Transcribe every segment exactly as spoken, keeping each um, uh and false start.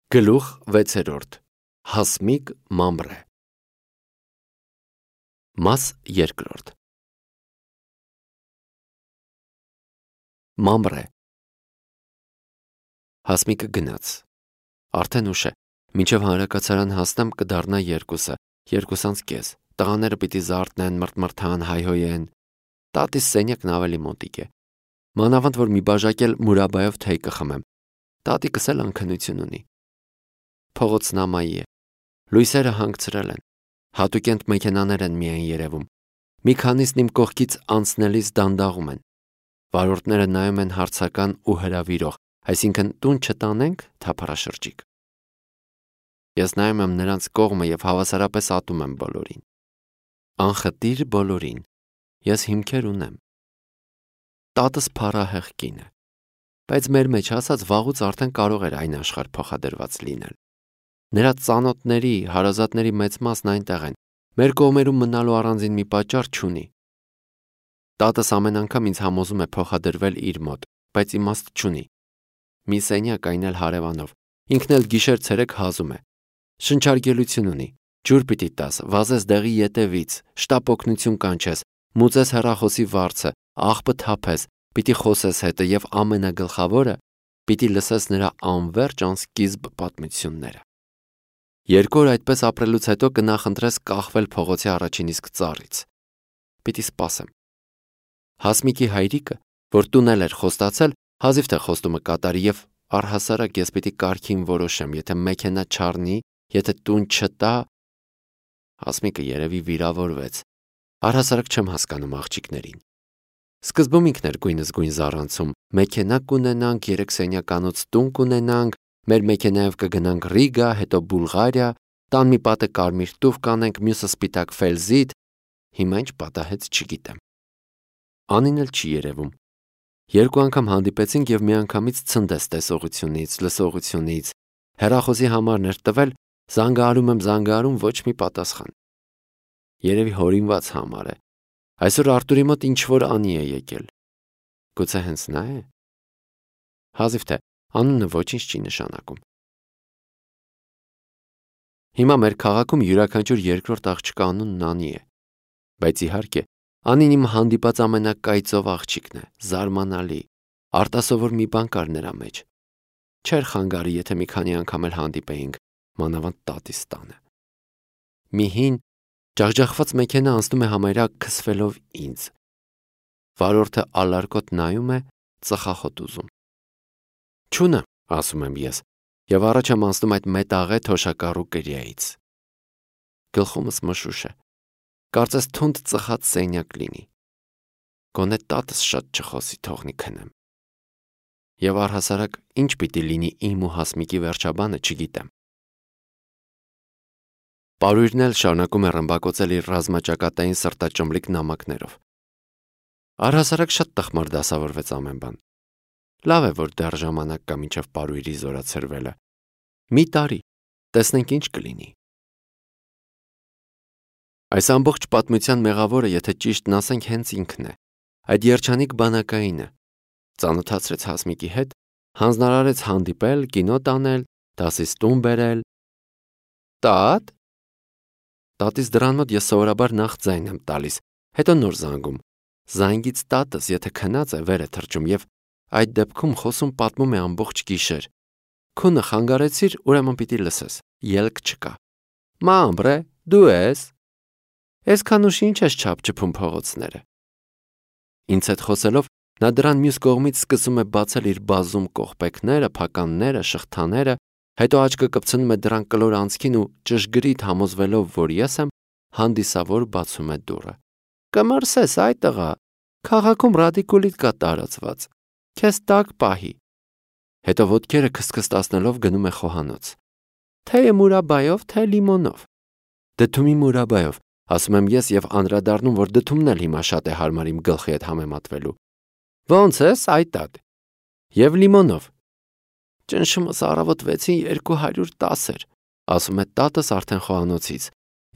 Գլուխ վեցերորդ. Հասմիկ Մամրե. Մաս երկրորդ. Մամրե. Հասմիկը գնաց. Արդեն ուշ է, մինչև հանրակացարան հասնեմ կդառնա երկուսը, երկուսանց կես, տղաները պիտի զարթնեն, մրթմրթան, հայհոյեն, տատիս սենյակն ավելի մոտիկ է, մանավանդ որ մի բաժակ էլ մուրաբայով թեյ կխմեմ, տատիկս էլ անքնություն ունի, փողոցն ամայի է, լույսերը հանգցրել են, հատուկենտ մեքենաներ են միայն երևում, մի քանիսն իմ կողքից անցնելիս դանդաղում են, վարորդները նայում են հարցական ու հրավիրող, այսինքն տուն չտանենք, թափառաշրջիկ։ Ես նայում եմ նրանց կողմը և հավասարապես ատում եմ բոլորին։ Անխտիր բոլորին, ես հիմքեր ունեմ։ Տատս փառահեղ կին է, բայց մեր մեջ ասած վաղուց արդեն կարող էր այն աշխարհ փոխադրված լինել։ Նրա ծանոթների, հարազատների մեծ մասն այնտեղ են, մեր կողմերում մնալու առանձին մի պատճառ չունի։ Տատս ամեն անգամ ինձ համոզում է փոխադրվել իր մոտ, բայց իմաստ չունի։ Մի սենյակ, այն էլ հարևանով, ինքն էլ գիշեր-ցերեկ հազում է։ Շնչարգելություն ունի, ջուր պիտի տաս, վազես դեղի ետևից, շտապ օգնություն կանչես, մուծես հեռախոսի վարձը, աղբը թափես, պիտի խոսես հետը և ամենագլխավորը, պիտի լսես նրա անվերջ անսկիզբ պատմությունները։ Երկու օր այդպես ապրելուց հետո կնախընտրես կախվել փողոցի առաջին իսկ ծառից։ Պիտի սպասեմ։ Հասմիկի հայրիկը, որ տունել էր խոստացել, հազիվ թե խոստումը կատարի և առհասարակ ես պիտի կարգին որոշեմ, եթե մեքենա չառնի, եթե տուն չտա, Հասմիկը երևի վիրավորվեց։ Առհասարակ չեմ հասկանում աղջիկներին։ Սկզբում ինքն էր գույնզգույն զառանցում, մեքենա կունենանք, երեք սենյականոց տուն կունենանք, մեր մեքենայով կգնանք Ռիգա, հետո Բուլղարիա, տան մի պատը կարմիր տուֆ կանենք, մյուսը սպիտակ ֆելզիտ, հիմա ինչ պատահեց չգիտեմ։ Անին էլ չի երևում։ Երկու անգամ հանդիպեցինք և միանգամից ցնդեց տեսողությունից, լսողությունից, հեռախոսի համարն էր տվել, զանգահարում եմ զանգահարում, ոչ մի պատասխան։ Երևի հորինված համար է։ Այսօր Արտուրի մոտ ինչ-որ անի է եկել։ Գուցե հենց նա է։ Հազիվ թե անունը ոչինչ չի նշանակում։ Հիմա մեր քաղաքում յուրաքանչյուր երկրորդ աղջկա անունն Անի է։ Բայց իհարկե, Անին իմ հանդիպած ամենակայծով աղջիկն է, զարմանալի, արտասովոր մի բան կար նրա մեջ։ Չէր խանգարի, եթե մի քանի անգամ էլ հանդիպեինք, մանավանդ տատիս տանը։ Մի հին, ջախջախված մեքենա անցնում է համարյա քսվելով ինձ։ Վարորդը ալարկոտ նայում է, ծխախոտ ուզում։ Չունը, ասում եմ ես, և առաջ եմ անցնում այդ մետաղե թոշակառու կրիայից։ Գլխումս մշուշ է, կարծես թունդ ծխած սենյակ լինի։ Գոնե տատս շատ չխոսի, թողնի քնեմ։ Եվ առհասարակ ինչ պիտի լինի իմ ու Հասմիկի վերջաբանը, չգիտեմ։ Պարույրն էլ շարունակում է ռմբակոծել իր ռազմաճակատային սրտաճմլիկ նամակներով։ Առհասարակ շատ տխմար դասավորվեց ամեն բան։ Լավ է, որ դեռ ժամանակ կա մինչև պարույրի զորացրվելը։ Մի տարի, տեսնենք ինչ կլինի։ Այս ամբողջ պատմության մեղավորը, եթե ճիշտն ասենք, հենց ինքն է, այդ երջանիկ բանակայինը, ծանոթացրեց Հասմիկի հետ, հանձնարարեց հանդիպել, կինո տանել, դասից տուն բերել։ Տատ։ Տատիս դռան մոտ ես սովորաբար նախ ձայն եմ տալիս, հետո նոր զանգում։ Զանգից տատս, եթե քնած է, վեր է թռչում և այդ դեպքում խոսում պատմում է ամբողջ գիշեր։ Քունը խանգարեցիր, ուրեմն պիտի լսես, ելք չկա։ Մամրե, դու ես։ Այսքան ուշ ինչ ես չափչփում փողոցները։ Ինձ հետ խոսելով նա դրան մյուս կողմից սկսում է բացել իր բազում կողպեքները, փականները, շղթաները, հետո աչքը կպցնում է դրան կլոր անցքին ու ճշգրիտ համոզվելով, որ ես եմ, հանդիսավոր բացում է դուռը։ Կմրսես, այ տղա, քաղաքում ռադիկուլիտ կա տարածված, քեզ տակ պահի։ Հետո ոտքերը քսքստացնելով գնում է խոհանոց։ Թե մուրաբայով, թե լիմոնով։ Դդումի մուրաբայով, ասում եմ ես և անդրադառնում, որ դդումն էլ հիմա շատ է հարմար իմ գլխի հետ համեմատվելու։ Ոնց ես, այ տատ։ Եվ լիմոնով։ Ճնշումս առավոտ վեցին երկու հարյուր տասը էր, ասում է տատս արդեն խոհանոցից,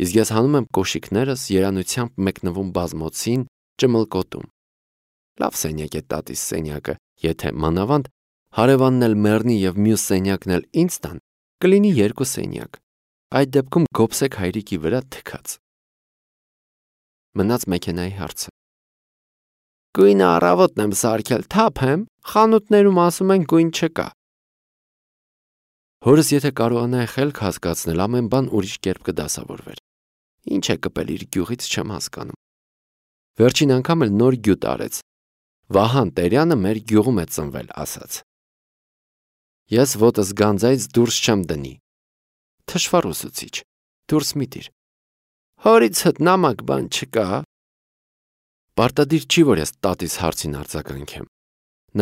իսկ ես հանում եմ կոշիկներս, երանությամբ մեկնվում բազմոցին, ճմլկոտում։ Լավ սենյակ է տատիս սենյակը, եթե մանավանդ հարևանն էլ մեռնի և մյուս սենյակն էլ ինձ տան, կլինի երկու սենյակ, այդ դեպքում գոբսեք հայրիկի վրա թքած։ Մնաց մեքենայի հարցը։ Գույնը առավոտն եմ սարքել, թափ եմ, խանութներում ասում են գույն չկա։ Հորս եթե կարողանայի խելք հասկացնել, ամեն բան ուրիշ կերպ կդասավորվեր։ Ինչ է կպել իր գյուղից չեմ հասկանում։ Վերջին անգամ էլ նոր գյուտ արեց։ Վահան Տերյանը մեր գյուղում է ծնվել, ասաց։ Ես ոտս գանձայից դուրս չեմ դնի։ Թշվառ ուսուցիչ, դուրս մի դիր։ Հորից հդ նամակ բան չկա։ Պարտադիր չի, որ ես տատիս հարցին արձագանքեմ։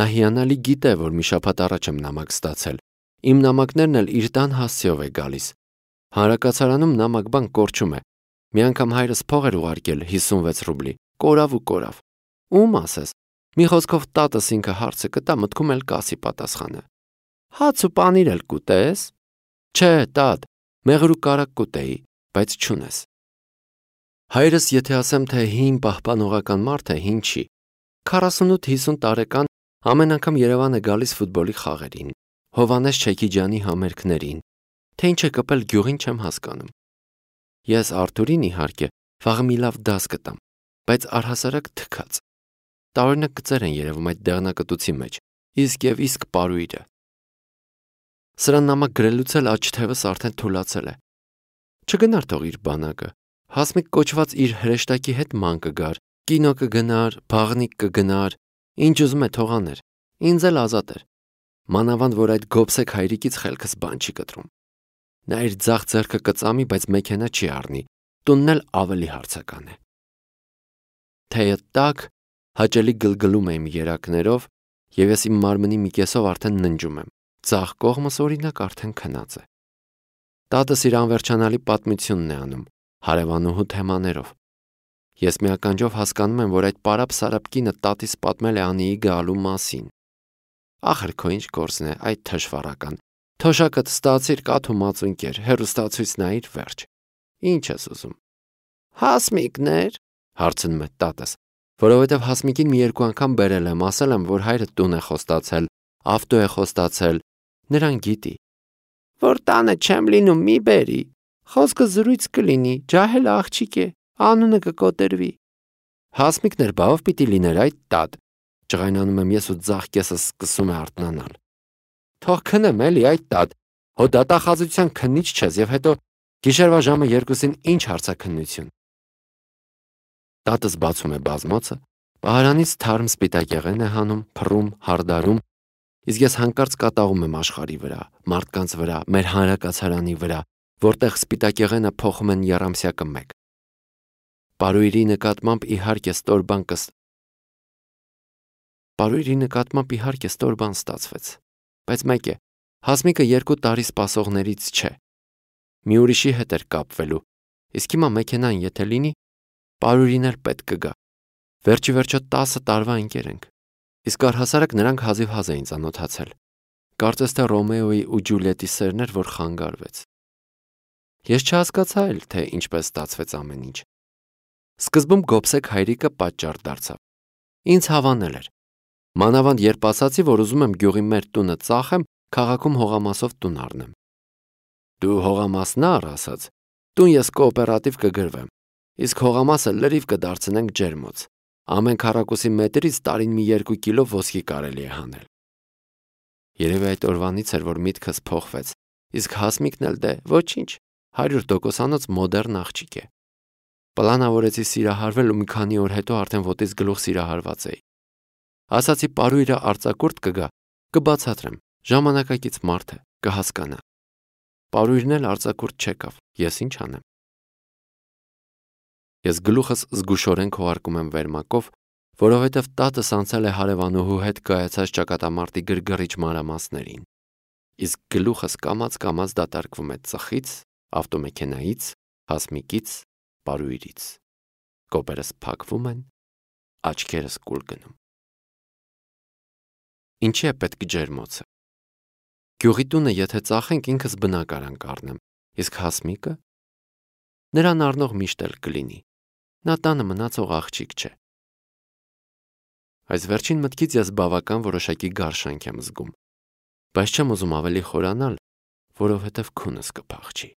Նա հիանալի գիտե, որ մի շաբաթ առաջ եմ նամակ ստացել։ Իմ նամակներն էլ իր տան հասցեով է գալիս։ Հանրակացարանում նամակ բան կորչում է։ Մի անգամ հայրս փող էր ուղարկել հիսունվեց ռուբլի, կորավ ու կորավ։ Ում ասես։ Մի խոսքով տատս ինքը հարցը կտա, մտքում էլ կասի պատասխանը։ Հաց ու պանիր էլ կուտես։ Չէ, տատ, մեղր ու կարակ կուտեի, բայց չունես։ Հայրս եթե ասեմ, թե հին պահպանողական մարդ է, հին չի։ քառասունութ-հիսուն տարեկան ամեն անգամ Երևան է գալիս ֆուտբոլի խաղերին, Հովանես Չեքիջյանի համերգներին, թե ինչ է կպել գյուղին չեմ հասկանում։ Ես Արթուրին իհարկե վաղը մի լավ դաս կտամ, բայց առհասարակ թքած։ Տարօրինակ գծեր են երևում այդ դեղնակտուցի մեջ, իսկ եւ իսկ պարույրը։ Սրան նամակ գրելուց էլ աջ թևս արդեն թուլացել է։ Չգնար թող իր բանակը, Հասմիկ կոչված իր հրեշտակի հետ ման կգար, կինո կգնար, բաղնիկ կգնար, ինչ ուզում է թող աներ, ինձ էլ ազատ էր։ Մանավանդ որ այդ գոբսեք հայրիկից խելքս բան չի կտրում։ Նա իր ձախ ձեռքը կծամի, բայց մեքենա չի առնի, տունն էլ ավելի հարցական է։ Թեյը տաք, հաճելի գլգլում եմ երակներով, եւ ես իմ մարմնի մի կեսով արդեն ննջում եմ, ձախ կողմս օրինակ արդեն քնած է։ Տատս իր անվերջանալի պատմությունն է անում, հարևանուհու թեմաներով։ Ես մի ականջով հասկանում եմ, որ այդ պարապ-սարապ կինը տատիս պատմել է Անիի գալու մասին։ Ախր քո ինչ գործն է, այդ թշվառական։ Թոշակդ ստացիր կաթ ու մածունկեր, հեռուստացույց նայիր վերջ։ Ինչ ես ուզում։ Հասմիկներ, հարցնում է տատս, որովհետև Հասմիկին մի երկու անգամ բերել եմ, ասել եմ, որ հայրը տուն է խոստացել, ավտո է խոստացել, նրան գիտի։ Որ տանը չեմ լինում, մի բերի։ Խոսքը զրույց կլինի, ջահել աղջիկ է, անունը կկոտրվի։ Հասմիկներ բավ պիտի լիներ այդ տատ, ջղայնանում եմ ես ու ձախ կեսս սկսում է արթնանալ։ Թող քնեմ էլի այդ տատ, հո դատախազության քննիչ չես եւ հետո գիշերվա ժամը երկուսին ինչ հարցաքննություն։ Տատս բացում է բազմոցը, պահարանից թարմ սպիտակեղեն է հանում, փռում, հարդարում, իսկ ես հանկարծ կատաղում եմ աշխարհի վրա, մարդկանց վրա, մեր հանրակացարանի վրա, որտեղ սպիտակեղենը փոխում են եռամսյակը մեկ։ Պարույրի նկատմամբ իհարկե ստոր բան կս Պարույրի նկատմամբ իհարկե ստոր բան ստացվեց, բայց մեկ է, Հասմիկը երկու տարի սպասողներից չէ։ Մի ուրիշի հետ էր կապվելու, իսկ հիմա մեքենան եթե լինի, Պարույրին էլ պետք կգա։ Վերջի վերջո տասը տարվա ընկեր ենք, իսկ առհասարակ նրանք հազիվ-հազ էին ծանոթացել։ Կարծես թե Ռոմեոյի ու Ջուլիետի սերն էր, որ խանգարվեց։ Ես չհասկացա էլ, թե ինչպես ստացվեց ամեն ինչ։ Սկզբում գոբսեք հայրիկը պատճառ դարձավ։ Ինձ հավանել էր։ Մանավանդ երբ ասացի, որ ուզում եմ գյուղի մեր տունը ծախեմ, քաղաքում հողամասով տուն առնեմ։ Դու հողամասն առ, ասաց, տուն ես կոոպերատիվ կգրվեմ, իսկ հողամասը լրիվ կդարձնենք ջերմոց։ Ամեն քառակուսի մետրից տարին մի երկու կիլո ոսկի կարելի է հանել։ Երևի այդ օրվանից էր, որ միտքս փոխվեց, իսկ Հասմիկն էլ դե ոչինչ, հարյուր տոկոսանոց մոդեռն աղջիկ է։ Պլանավորեցի սիրահարվել ու մի քանի օր հետո արդեն ոտից գլուխ սիրահարված էի։ Ասացի Պարույրը արձակուրդ կգա, կբացատրեմ, ժամանակակից մարդ է, կհասկանա։ Պարույրն էլ արձակուրդ չեկավ, ես ինչ անեմ։ Ես գլուխս զգուշորեն քողարկում եմ վերմակով, որովհետև տատս անցել է հարևանուհու հետ կայացած ճակատամարտի գրգռիչ մանրամասներին։ Իսկ գլուխս կամաց-կամաց դատարկվում է ծխից, ավտոմեքենայից, Հասմիկից, Պարույրից։ Կոպերս փակվում են, աչքերս կուլ գնում։ Ինչի է պետք ջերմոցը։ Գյուղի տունը եթե ծախենք ինքս բնակարան կառնեմ, իսկ Հասմիկը նրան առնող միշտ էլ կլինի։ Նա տանը մնացող աղջիկ չէ։ Այս վերջին մտքից ես բավական որոշակի գարշանք եմ զգում, բայց չեմ ուզում ավելի խորանալ, որովհետև քունս կփախչի։